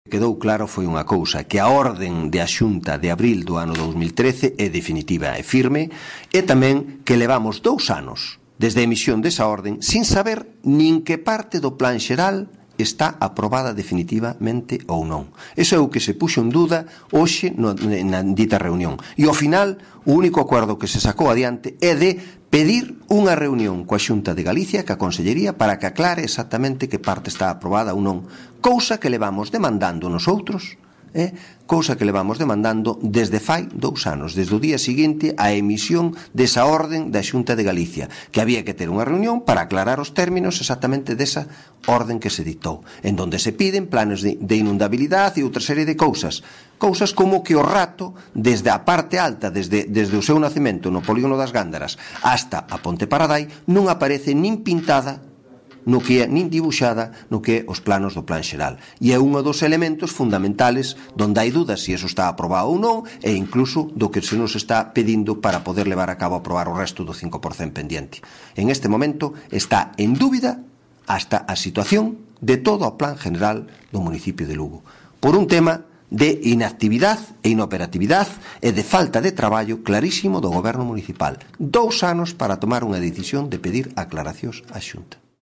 Quedou claro foi unha cousa, que a orden de a Xunta de abril do ano 2013 é definitiva e firme, e tamén que levamos 2 anos desde a emisión desa orden sin saber nin que parte do plan xeral está aprobada definitivamente ou non. Iso é o que se puxo en dúda hoxe na dita reunión. E ao final, o único acordo que se sacou adiante é de pedir unha reunión coa Xunta de Galicia, coa Consellería, para que aclare exactamente que parte está aprobada ou non. Cousa que levamos demandando nosotros, cousa que levamos demandando desde fai 2 anos, desde o día seguinte á emisión desa orden da Xunta de Galicia, que había que ter unha reunión para aclarar os términos exactamente desa orden que se dictou, en donde se piden planes de inundabilidade e outra serie de cousas como que o rato, desde a parte alta, desde o seu nacemento no polígono das Gándaras hasta a Ponte Paradai, non aparece nin pintada no que é, nin dibuixada no que é os planos do plan xeral. E é un dos elementos fundamentales donde hai dudas se iso está aprobado ou non, e incluso do que se nos está pedindo para poder levar a cabo a aprobar o resto do 5% pendiente. En este momento está en dúbida hasta a situación de todo o plan general do municipio de Lugo, por un tema de inactividade e inoperatividade e de falta de traballo clarísimo do goberno municipal. 2 anos para tomar unha decisión de pedir aclaracións á Xunta.